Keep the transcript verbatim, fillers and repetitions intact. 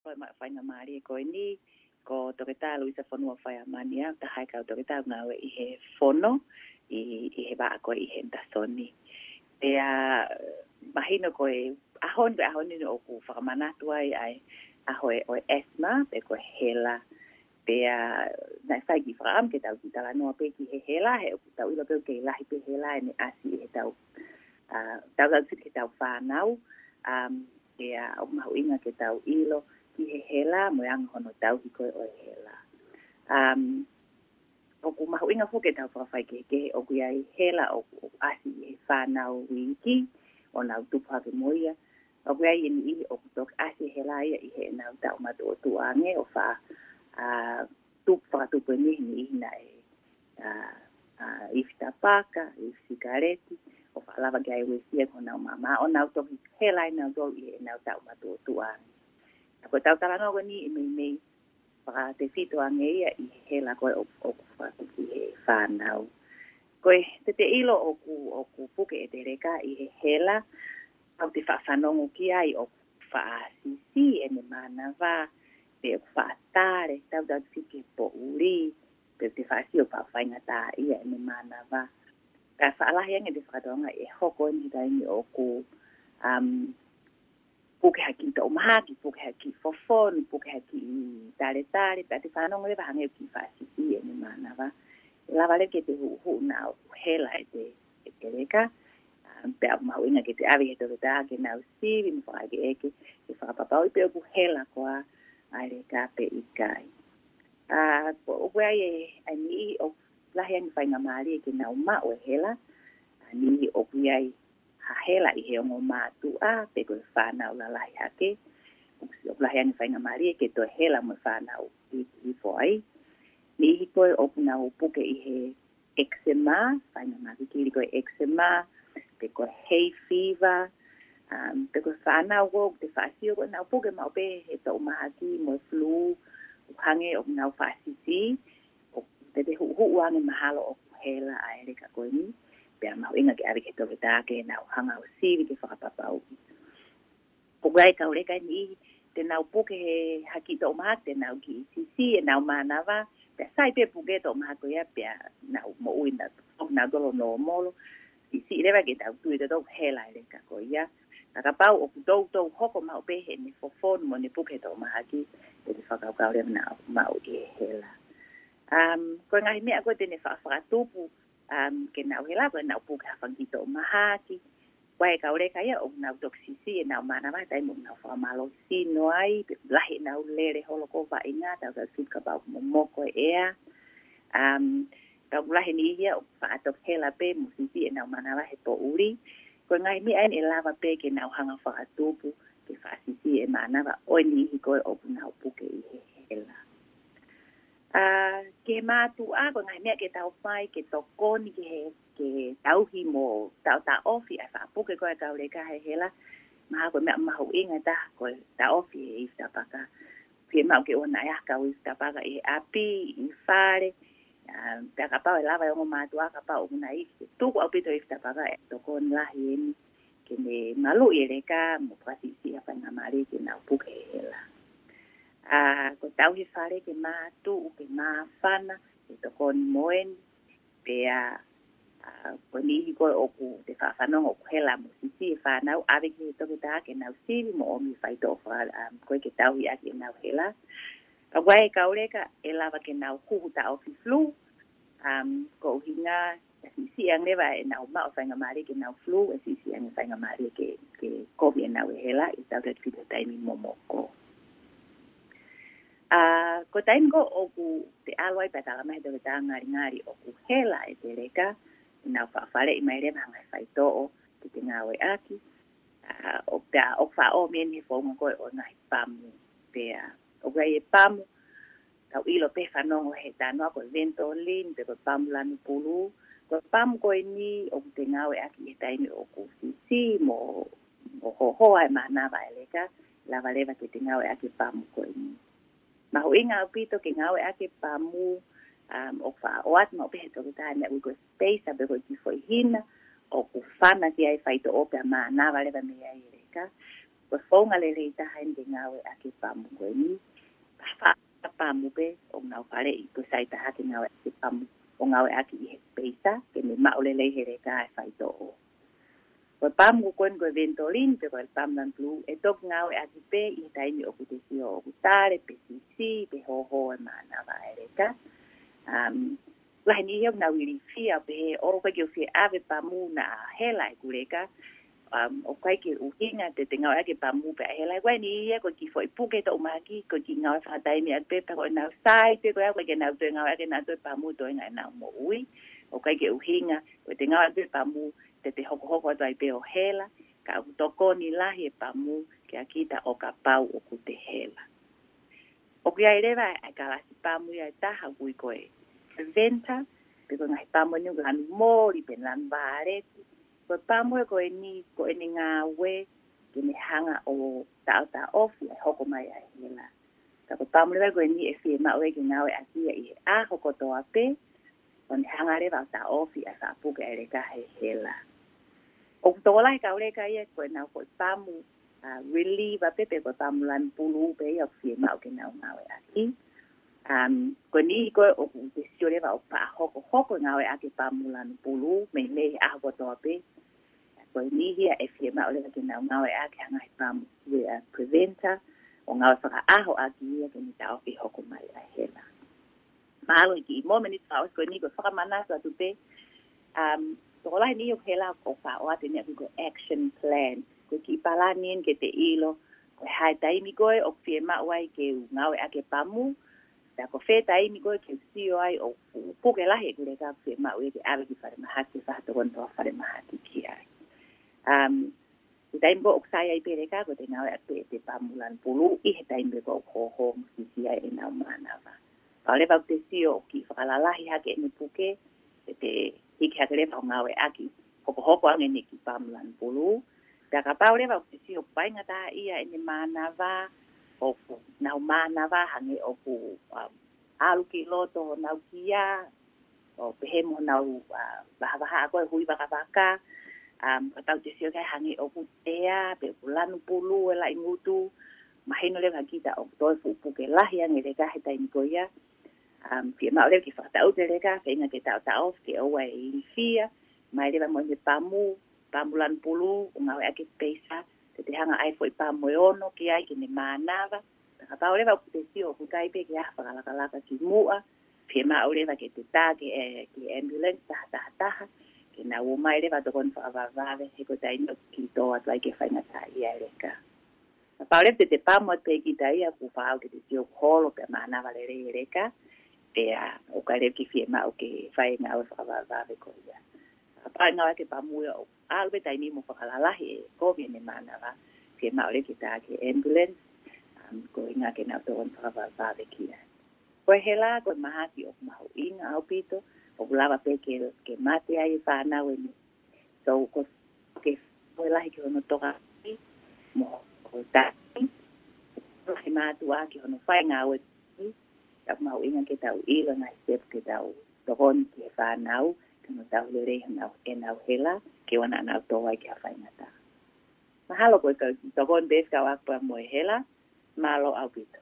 Ko e maʻu faingamālie ko eni, ko Toketā Luisa Fonua Faiamani au, taha e kau toketā ngāue ʻi he fono, ʻi, ʻi he vaʻa ko ē ʻi Henderson. Pea mahino ko e ʻaho ni, ko e ʻaho ni ʻoku fakamanatu ai ʻa e ʻaho ʻo e asthma, pe ko e hela. Pea naʻe fai e kiʻi fakaʻamu ke tau kiʻi talanoa pē ki he hela, he ʻoku tau ʻilo pē ʻoku kei lahi pē hela ʻene ʻasi ʻi heʻetau, ʻa, tautautefito ki heʻetau fānau, um, pea ʻoku mahuʻinga ke tau ʻilo ki he hela, mo e anga hono tauhi ko ē ʻo e hela. Um, ʻoku mahuʻinga foki ke tau fakafaikehekehe ʻoku ʻi ai e hela ʻoku, ʻoku ʻasi ʻi he fānau iiki, ʻo nau tupu hake mo ia. ʻOku ʻi ai e niʻihi ʻoku toki ʻasi e hela ia ʻi heʻenau taʻu matuʻotuʻa ange ʻo faʻa, ʻa, tupu, fakatupu eni he niʻihi naʻe, ʻa, ʻa, ifi tapaka, ifi sikaleti, ʻo faʻa lava ke ai uesia ko honau maama, ʻo nau toki hela ʻi nautolu ʻi heʻenau taʻu matuʻotuʻa ange. Ka ko ʻetau talanoa ko eni ʻe meimei fakatefito ange ia ʻi he hela ko ē ʻoku, ʻoku fakatupu ʻi he fānau. Ko e, te te ʻilo ʻoku, ʻoku puke ʻete leka ʻi he hela, ʻoku te faʻa fanongo ki ai ʻoku faʻa sisi ʻene mānava, pe ʻoku faʻa tale, tautautefito ki he poʻuli, pe ʻoku te faʻa sio ʻoku faʻa faingataʻaʻia ʻene mānava. Ka faʻa lahi ange ʻete fakatokangaʻi ʻe hoko eni he taimi ʻoku, um, puke ha kiʻi toʻu mahaki, puke ha kiʻi fofonu, puke ha kiʻi taletale, pea te fanongo leva hangē ʻoku kiʻi faʻa sisi ʻene mānava. ʻE lava leva ke te huʻuhuʻu naʻa ʻoku hela ʻete, ʻete leka. Um, pea ʻoku mahuʻinga ke te ʻave ki he toketā ke nau sivi mo fakaʻekeʻeke, ke fakapapauʻi pe ʻoku hela koā ʻa e leka pe ʻikai. ʻA, ko, ʻoku ʻi ai e, ʻa e niʻihi ʻoku lahi ange faingamālie ke nau maʻu e hela, ʻa e niʻihi ʻoku ʻi ai ha hela ʻi he ongo mātuʻa, pe ko e fānau lalahi hake, ʻoku, ʻoku lahi ange faingamālie ke toe hela mo e fānau iiki hifo ai. Niʻihi ko ē ʻoku nau puke ʻi he eczema, faingamālie kili ko e eczema, pe ko e hay fever, um, pe ko e fānau ko ē ʻoku te faʻa sio ko ē nau puke maʻu pē he toʻu mahaki mo e flu, ʻoku hangē ʻoku nau faʻa sisi, ʻoku te te huʻuhuʻu ange mahalo ʻoku hela ʻa e leka ko eni, pea mahuʻinga ke ʻave ki he toketā ke nau hanga ʻo sivi ke fakapapauʻi. ʻOku ʻi ai e kau leka ʻe niʻihi, te nau puke he ha kiʻi toʻu mahaki, te nau kiʻi sisi ʻenau mānava, pea sai pē puke toʻu mahaki ko ia, pea nau moʻui na, ʻoku nau tolo nōmolo, siʻisiʻi leva ke tau tui ʻe tautolu ʻoku hela e leka ko ia. Ka kapau ʻoku toutou hoko maʻu pē heʻene fofonu mo ʻene puke toʻu mahaki, te te fakakaukau leva naʻa ʻoku maʻu ʻi he hela. Um, ko e ngaahi meʻa ko ē te ne faʻa fakatupu, um, ke nau hela, ko ʻenau puke ha fanga kiʻi toʻu mahaki. Ko e kau leka ia ʻoku nau toki sisi ʻenau mānava he taimi ʻoku nau fakamālohisino ai, pe lahi ʻenau lele holo ko ē vaʻinga, tautautefito kapau ʻoku momoko e ʻea. Um, ka ʻoku lahi e niʻihi ia ʻoku faʻa toki hela pē mo sisi ʻenau mānava he poʻuli. Ko e ngaahi meʻa eni ʻe lava pē ke nau hanga fakatupu ke faʻa sisi e mānava ʻo e niʻihi ko ē ʻoku nau puke ʻi he hela. ʻA, ki he mātuʻa, ko e ngaahi meʻa ke tau fai ke tokoni ki he, ke tauhi mo taʻotaʻofi ʻa e faʻa puke ko ē ʻa e kau leka he hela. Mahalo ko e meʻa mahuʻinga taha ko e taʻofi e ifi tapaka. Fiemaʻu ke ʻoua naʻa ʻi ai ha kau ifi tapaka ʻi he ʻapi, ʻi fale. ʻA, pea kapau ʻe lava e ongo mātuʻa, kapau ʻoku nau ifi, tuku ʻaupito e ifi tapaka, ʻe tokoni lahi eni ke ne maluʻi e leka mo fakasiʻisiʻi ha faingamālie ke nau puke he hela. ʻA, ko e tauhi fale ke mātuʻu, ke māfana, ke tokoni mo eni, pea, ʻa, ko e niʻihi ko ē ʻoku te faʻa fanongo ʻoku hela mo sisi e fānau, ʻave ki he toketā ke nau sivi mo ʻomi e faitoʻo faka-, um, ko ē ke tauhi ʻaki ʻenau hela. Ka ʻoku ʻi ai e kau leka ʻe lava ke nau huhu taʻofi flu, um, ko e ʻuhinga ʻe siʻisiʻi ange leva ʻenau maʻu faingamālie ke nau flu, ʻe siʻisiʻi ange faingamālie ke, ke kovi ʻenau ʻe hela, ʻi he tautautefito taimi momoko. ʻA, ko e taimi ko ē ʻoku te ʻalu ai pea talamai he toketā ngalingali ʻoku hela ʻete leka, ʻe nau faʻa faleʻi mai leva ha ngaahi faitoʻo ke te ngāueʻaki. ʻA, ʻo pea ʻoku faʻa ʻomi eni he founga ko ē ʻo e ngaahi pamu pea. ʻOku ʻi ai e pamu, tau ʻilo pē fanongo he talanoa ko e Ventolin, pe ko e pamu lanu pulu. Ko e pamu ko eni ʻoku te ngāueʻaki he taimi ʻoku sisi mo, mo hohoa e mānava e leka, lava leva ke te ngāueʻaki e pamu ko eni. Mahuʻinga ʻaupito ke ngāueʻaki e pamu, um, ʻoku faʻa ʻoatu maʻu pē he toketā e meʻa ʻoku ui ko e spacer pe ko e kiʻi foʻi hina, ʻoku fana ki ai e faitoʻo pea mānava leva mei ai e leka. Ka, ko e founga lelei taha eni ke ngāueʻaki e pamu ko eni. Ka fa-, pamu pē ʻoku nau faleʻi, ko e sai taha ke ngāueʻaki e pamu, ʻo ngāueʻaki ʻi he peisa, ke ne maʻu lelei he leka e faitoʻo. Ko e pamu ko eni ko e Ventolin, pe ko e pamu lanu pulū, ʻe toki ngāueʻaki pē ʻi he taimi ʻoku te sio ʻoku tale, pe sisi, pe hōhō e mānava e leka. Um, lahi e niʻihi ʻoku nau ilifia pehē ʻoku ʻikai ke u fie ʻave pamu naʻa hela ʻeku leka. Um, ʻoku ʻikai ke ʻuhinga te te ngāueʻaki e pamu pea hela. Ko e niʻihi ia ko e kiʻi foʻi puke toʻomahaki, ko e kiʻi ngāue fakataimi atu pē, pea ko ʻenau sai pē ko ia, ʻoku ʻikai ke nau toe ngāueʻaki ʻenau toe pamu toenga ʻenau moʻui. ʻOku ʻikai ke ʻuhinga ko ʻete ngāueʻaki e pamu te te hokohoko atu ai pē ʻo hela, ka ʻoku tokoni lahi e pamu kiate kita ʻo kapau ʻoku te hela. ʻOku ʻi ai leva e kalasi pamu ia ʻe taha ʻoku ui ko e preventer, pe ko e ngaahi pamu eni ʻoku lanu moli pe lanu vāleti. Ko e pamu ia ko eni, ko ʻene ngāue ke ne hanga ʻo taʻotaʻofi ʻa e hoko mai ʻa e hela. Ka ko e pamu leva ko eni ʻe fiemaʻu ia ke ngāueʻaki ia ʻi he ʻaho kotoa pē, ʻo ne hanga leva ʻo taʻofi ʻa e faʻa puke ʻa e leka he hela. ʻOku tokolahi e kau leka ia ko ʻenau foʻi pamu, a, reliever pē pe ko e pamu lanu pulū pē ia ʻoku fiemaʻu ke nau ngāueʻaki. Um, ko e niʻihi ko ē ʻoku te sio leva ʻoku faʻa hokohoko e ngāueʻaki e pamu lanu pulū, meimei he ʻaho kotoa pē. Ko e niʻihi ia ʻe fiemaʻu leva ke nau ngāueʻaki ha ngaahi pamu, ia, a, preventer, ʻo ngāue fakaʻaho ʻaki ia ke ne taʻofi e hoko mai ʻa e hela. Mahalo ʻi he kiʻi mōmeniti fakaʻosi ko eni ko e fakamanatu atu pē, um, tokolahi e niʻihi ʻoku hela ʻoku faʻa ʻoatu e meʻa ʻoku ui ko e action plan. Ko e kiʻi palani eni ke te ʻilo ko e hā e taimi ko ē ʻoku fiemaʻu ai ke u ngāueʻaki e pamu, pea ko fē taimi ko ē ke u sio ai ʻoku puke lahi ʻeku leka ʻoku fiemaʻu ia ke ʻave ki falemahaki, fai ha tokoni fakafalemahaki ki ai. Um, ʻI he taimi ko ē ʻoku sai ai pē e leka, ko ʻete ngāueʻaki pē ʻete pamu lanu pulū ʻi he taimi ko ē ʻoku hōhō mo sisi ai ʻenau mānava. Kapau leva ʻoku te sio ʻoku kiʻi fakalalahi hake ʻene puke, te te hiki hake leva ʻo ngāueʻaki hokohoko ange ʻene kiʻi pamu lanu pulū. Pea kapau leva ʻoku te sio ʻoku faingataʻaʻia ʻene mānava, ʻoku nau mānava hangē ʻoku, um, ʻalu ki loto honau kia, ʻo pehē mo honau, a, vahavahaʻa ko ē hui vakavaka, um, kapau te sio ki ai hangē ʻoku tea, pe ʻoku lanu pulū e laʻi ngutu, mahino leva kia kita ʻoku toe fuʻu puke lahi ange e leka he taimi ko ia. Um, fiemaʻu leva ke fakataʻutu e leka, feinga ke taʻotaʻofi ke ʻoua ʻe ilifia, mai leva mo ʻene pamu, pamu lanu pulū, ʻo ngāueʻaki e peisa, te te hanga ʻai e foʻi pamu ʻe ono ki ai ke ne mānava. Pea kapau leva ʻoku te sio ʻoku ʻikai pē ke ʻi ai ha fakalakalaka kimuʻa, fiemaʻu leva ke te tā ki he, ki he ambulance taha taha taha, ke nau ō mai leva ʻo tokoni fakavavevave, he ko e taimi ʻoku kiʻi tō atu ai ke faingataʻaʻia e leka. Kapau leva te te pamu atu pē kita ia, kuo pau ke te sio ʻoku holo pea mānava lelei e leka, pea ʻoku ʻikai leva ke fiemaʻu ke fai e ngāue fakavavevave ko ia. Kapau ʻe ngāueʻaki e pamu ia ʻo ʻalu pē taimi mo fakalalahi e kovi ʻene mānava, fiemaʻu leva ke tā ki he ambulance, um, ko e ʻuhinga ke nau tokoni fakavavevave ki ai. Ko e hela, ko e mahaki ʻoku mahuʻinga ʻaupito, ʻoku lava pē ke, ke mate ai e fānau ʻi he So, ko e, ko e lahi ki hono tokoni, mo hono taki, lahi mātuʻa ki hono fai ngāue, ka ʻoku mahuʻinga ke tau ʻilo e ngaahi step ke tau tokoni ki he fānau, ke nau tau lelei honau, ʻenau hela, ke ʻoua naʻa nau tō ai ki ha faingataʻa. Mahalo ko e kau tokoni pē fekauʻaki pea mo e hela, mālō ʻaupito.